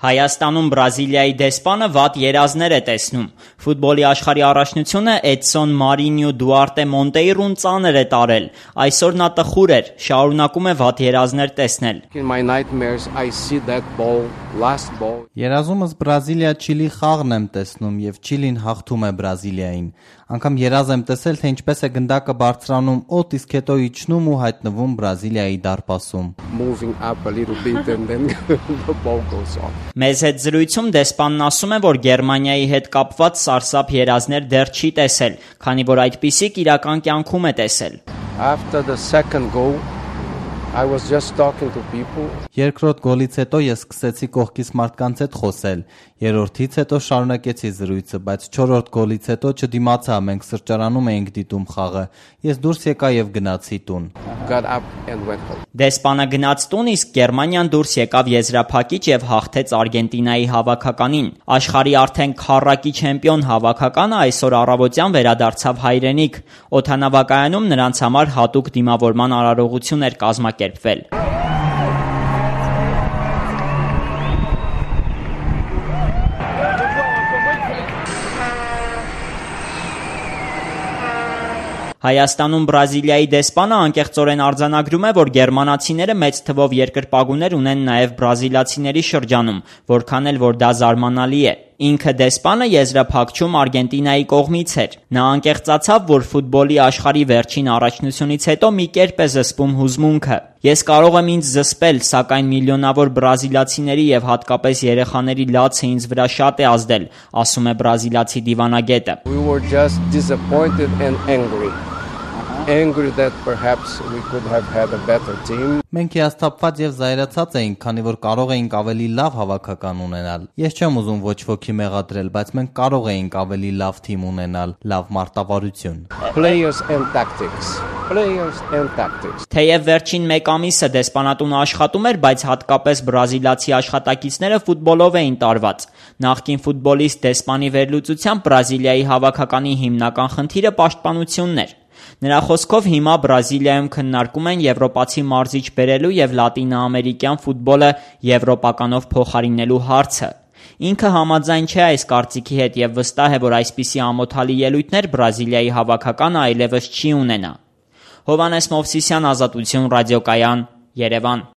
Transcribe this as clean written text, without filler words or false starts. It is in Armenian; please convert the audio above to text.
Հայաստանում Բրազիլիայի դեսպանը վատ երազներ է տեսնում։ Ֆուտբոլի աշխարհի առաջնությունը Էդսոն Մարինյո Դուարտե Մոնտեյրուն ծանր է տարել։ Այսօր նա տխուր էր, շարունակում է վատ երազներ տեսնել։ Երազումս Բրազիլիա-Չիլի խաղն եմ տեսնում եւ Չիլին հաղթում է Բրազիլիային։ Անգամ երազ եմ տեսել, թե ինչպես է գնդակը բարձրանում օդ, իսկ հետո իջնում ու հայտնվում Բրազիլիայի դարպասում։ Մեզ հետ զրույցում դեսպանն ասում է, որ Գերմանիայի հետ կապված սարսափ երազներ դեռ չի տեսել, քանի որ այդպիսիք իրական կյանքում է տեսել։ Երկրորդ գոլից հետո ես սկսեցի կողքից մարդկանց հետ խոսել, երրորդից հետո շարունակեցի զրույցը, բայց չորրորդ գոլից հետո չդիմացա, մենք սրճարանում էինք դիտում խաղը, ես դուրս եկա եւ գնացի տուն։ Դեսպանը գնաց տուն, իսկ Գերմանիան դուրս եկավ եզրափակիչ եւ հաղթեց Արգենտինայի հավաքականին։ Աշխարհի արդեն քառակի չեմպիոն հավաքականը այսօր առավոտյան վերադարձավ հայրենիք։ Օդանավակայանում նրանց համար հատուկ դիմավորման արարողություն էր կազմակերպվել։ Հայաստանում Բրազիլիայի դեսպանը անկեղծորեն արձանագրում է, որ գերմանացիները մեծ թվով երկրպագուներ ունեն նաև բրազիլացիների շրջանում, որքան էլ որ դա զարմանալի է։ Ինքը դեսպանը եզրափակչում Արգենտինայի կողմից էր։ Նա անկեղծացավ, որ ֆուտբոլի աշխարհի վերջին առաջնությունից հետո մի կերպ է զսպում հուզմունքը։ Ես կարող եմ ինձ զսպել, սակայն միլիոնավոր բրազիլացիների եւ հատկապես երեխաների լացը ինձ վրա շատ է ազդել, ասում է բրազիլացի դիվանագետը։ Մենք հիասթափված եւ զայրացած էինք, քանի որ կարող էինք ավելի լավ հավաքական ունենալ։ Ես չեմ ուզում ոչ ոքի մեղադրել, բայց մենք կարող էինք ավելի լավ թիմ ունենալ, լավ մարտավարություն։ Թեև վերջին մեկ ամիսը դեսպանատունը աշխատում էր, բայց հատկապես բրազիլացի աշխատակիցները ֆուտբոլով էին տարված։ Նախկին ֆուտբոլիստ դեսպանի վերլուծությամբ Բրազիլիայի հավաքականի հիմնական խնդիրը պաշտպանությունն էր։ Նրա խոսքով հիմա Բրազիլիայում քննարկում են եվրոպացի մարզիչ բերելու եւ լատինաամերիկյան ֆուտբոլը եվրոպականով փոխարինելու հարցը։ Ինքը համաձայն չէ այս կարծիքի հետ եւ վստահ է, որ այսպիսի ամոթալի ելույթներ Բրազիլիայի հավաքականը այլևս չի ունենա։ Հովհաննես Մովսիսյան, Ազատություն ռադիոկայան, Երևան։